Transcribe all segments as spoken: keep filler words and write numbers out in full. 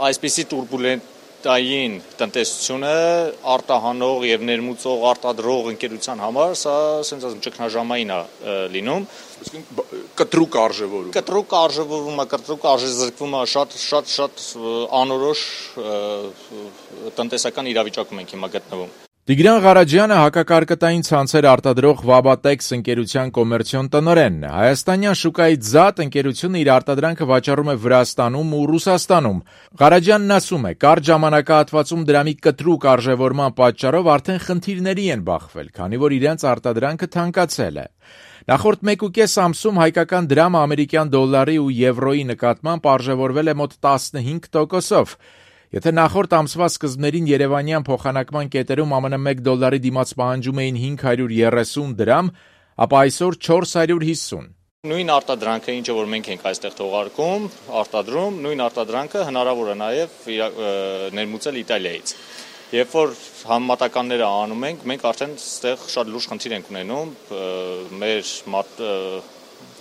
Այսպիսի տուրբուլենտային տնտեսությունը արտահանող եւ ներմուծող արտադրող ընկերության համար սա ասենց ասեմ ճգնաժամային է լինում։ Կտրուկ արժևորում։ Կտրուկ արժևորումը, կտրուկ արժեզրկումը շատ շատ շատ անորոշ տնտեսական իրավիճակում ենք հիմա գտնվում։ Տիգրան Ղարաջյանը հակակարկտային ցանցեր արտադրող Վաբատեքս ընկերության կոմերցիոն տնօրենն է։ Հայաստանյան շուկայից զատ ընկերությունը իր արտադրանքը վաճառում է Վրաստանում ու Ռուսաստանում։ Ղարաջյանն ասում է, կարճ ժամանակահատվածում դրամի կտրուկ արժևորման պատճառով արդեն խնդիրների են բախվել, քանի որ իրենց արտադրանքը թանկացել է։ Նախորդ մեկուկես ամսում հայկական դրամը ամերիկյան դոլարի ու եվրոյի նկատմամբ արժևորվել է մոտ տասնհինգ տոկոսով։ Եթե նախորդ ամսվա սկզբներին երևանյան փոխանակման կետերում ԱՄՆ մեկ դոլարի դիմաց պահանջում էին հինգ հարյուր երեսուն դրամ, ապա այսօր չորս հարյուր հիսուն։ Նույն արտադրանքը, ինչը որ մենք ենք այստեղ թողարկում, արտադրում, նույն արտադրանքը հնարավոր է նաև ներմուծել Իտալիայից։ Երբ որ համեմատականները անում ենք, մենք արդեն այստեղ շատ լուրջ խնդիր ենք ունենում մեր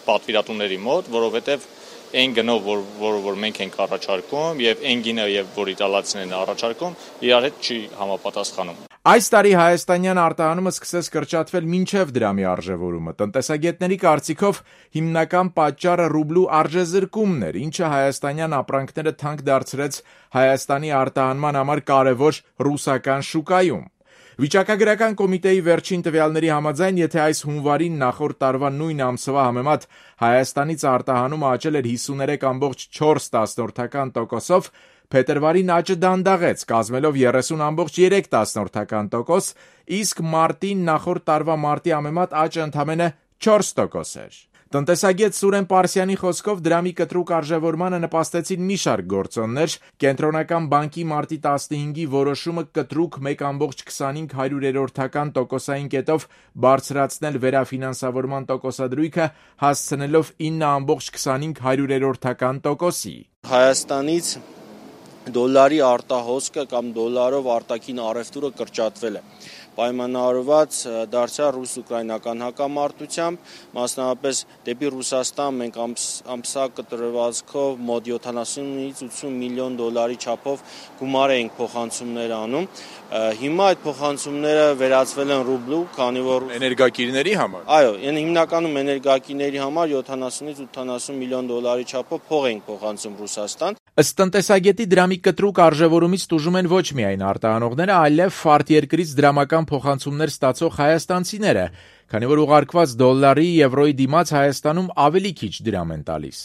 պատվիրատուների մոտ, որովհետև այն գնով, որ, որ, որ մենք ենք առաջարկում և այն գինը, որ իտալացիներն են առաջարկում, իրար հետ չի համապատասխանում։ Այս տարի հայաստանյան արտահանումը սկսեց կրճատվել մինչև դրամի արժևորումը։ Տնտեսագետների կարծիքով հիմնական պատճառը ռուբլու արժեզրկումն էր, ինչը հայաստանյան ապրանքները թանկ դարձրեց Հայաստանի արտահանման համար կարևոր ռուսական շուկայում։ Վիճակագրական կոմիտեի վերջին տվյալների համաձայն, եթե այս հունվարին նախորդ տարվա նույն ամսվա համեմատ Հայաստանից արտահանումը աճել էր հիսուներեք կόμma չորս տոկոսով, փետրվարին աճը դանդաղեց, կազմելով երեսուն կόμma երեք տոկոս, իսկ մարտին նախորդ տարվա մարտի համեմատ աճը ընդամենը չորս տոկոս էր։ Տնտեսագետ Սուրեն Պարսյանի խոսքով դրամի կտրուկ արժևորմանը նպաստեցին մի շարք գործոններ, կենտրոնական բանկի մարտի տասնհինգի որոշումը կտրուկ մեկ կόμma քսանհինգ տոկոսային կետով բարձրացնել վերաֆինանսավորման տոկոսադրույքը, հասցնելով ինը կόμma քսանհինգ տոկոսի։ Հայաստանից դոլարի արտահոսքը կամ դոլարով արտաքին առևտուրը կրճատվել է։ Պայմանավորված դարձյալ ռուս-ուկրաինական հակամարտությամբ, մասնավորապես դեպի Ռուսաստան մենք ամսակ տրվածքով մոտ յոթանասունից ութսուն միլիոն դոլարի չափով գումար էինք փոխանցումներ անում։ Հիմա այդ փոխանցումները վերածվել են ռուբլու, քանի որ էներգակիրների համար։ Այո, հիմնականում էներգակիրների համար յոթանասունից ութանասուն միլիոն դոլարի չափով փող էինք փոխանցում Ռուսաստան։ Ըստ տնտեսագետի դրամի կտրուկ արժևորումից տուժում են ոչ միայն արտահանողները, այլև արտերկրից դրամական փոխանցումներ ստացող հայաստանցիները, քանի որ ուղարկված դոլարի, եվրոյի դիմաց Հայաստանում ավելի քիչ դրամ են տալիս։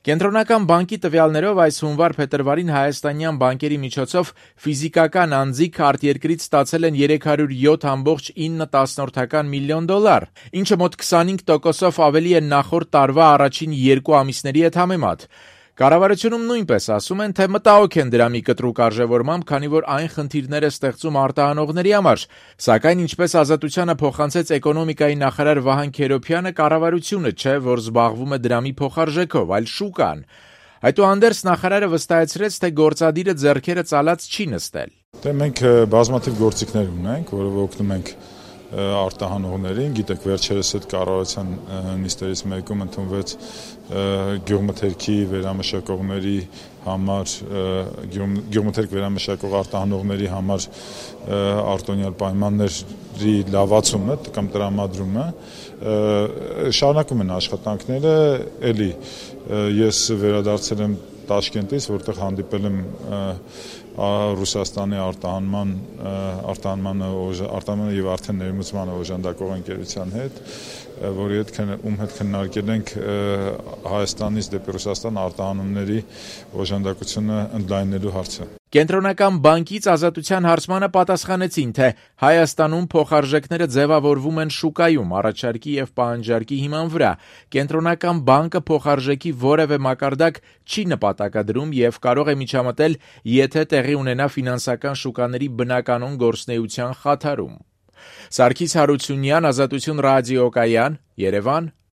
Կենտրոնական բանկի տվյալներով այս հունվար-փետրվարին հայաստանյան բանկերի միջոցով ֆիզիկական անձիկ արտերկրից ստացել են երեք հարյուր յոթ կόμma ինը միլիոն դոլար, ինչը մոտ քսանհինգ տոկոսով ավելի է նախորդ տարվա առաջին երկու ամիսների հետ համեմատ։ Կառավարությունում նույնպես ասում են, թե մտահոգ են դրամի կտրուկ արժևորմամբ, քանի որ այն խնդիրներ է ստեղծում արտահանողների համար, սակայն ինչպես Ազատությանը փոխանցեց էկոնոմիկայի նախարար Վահան Քերոբյանը, կառավարությունը չէ, որ զբաղվում է դրամի փոխարժեքով, այլ շուկան։ Այդուհանդերձ նախարարը վստահեցրեց, թե գործադիրը ձեռքերը ծալած չի նստել։ Դե մենք բազմաթիվ գործիքներ ունենք, որով օգնում ենք արտահանողներին, գիտեք, վերջերս այդ կառավարության նիստերից մեկում ընդունվեց գյուղմթերքի վերամշակողների համար, գյուղմթերք վերամշակող արտահանողների համար արտոնյալ պայմանների լավացումը կամ տրամադրումը, շարունակում են աշխատանքները, էլի ես վերադարձել եմ Տաշկենտից, որտեղ հանդիպել եմ Ռուսաստանի արտահանման արտահանմանը արտահանմանը եւ արդեն ներմուծմանը օժանդակող ընկերության հետ, որի հետ ում հետ քննարկել ենք Հայաստանից դեպի Ռուսաստան արտահանումների օժանդակությունը ընդլայնելու հարցը։ Կենտրոնական բանկից Ազատության հարցմանը պատասխանեցին, թե Հայաստանում փոխարժեքները ձևավորվում են շուկայում առաջարկի եւ պահանջարկի հիման վրա։ Կենտրոնական բանկը փոխարժեքի որևէ մակարդակ չի նպատակադրում եւ կարող է միջամտել, եթե տեղի ունենա ֆինանսական շուկաների բնականոն գործունեության խաթարում։ Սարգիս Հարությունյան, Ազատություն ռադիոկայան, Երևան։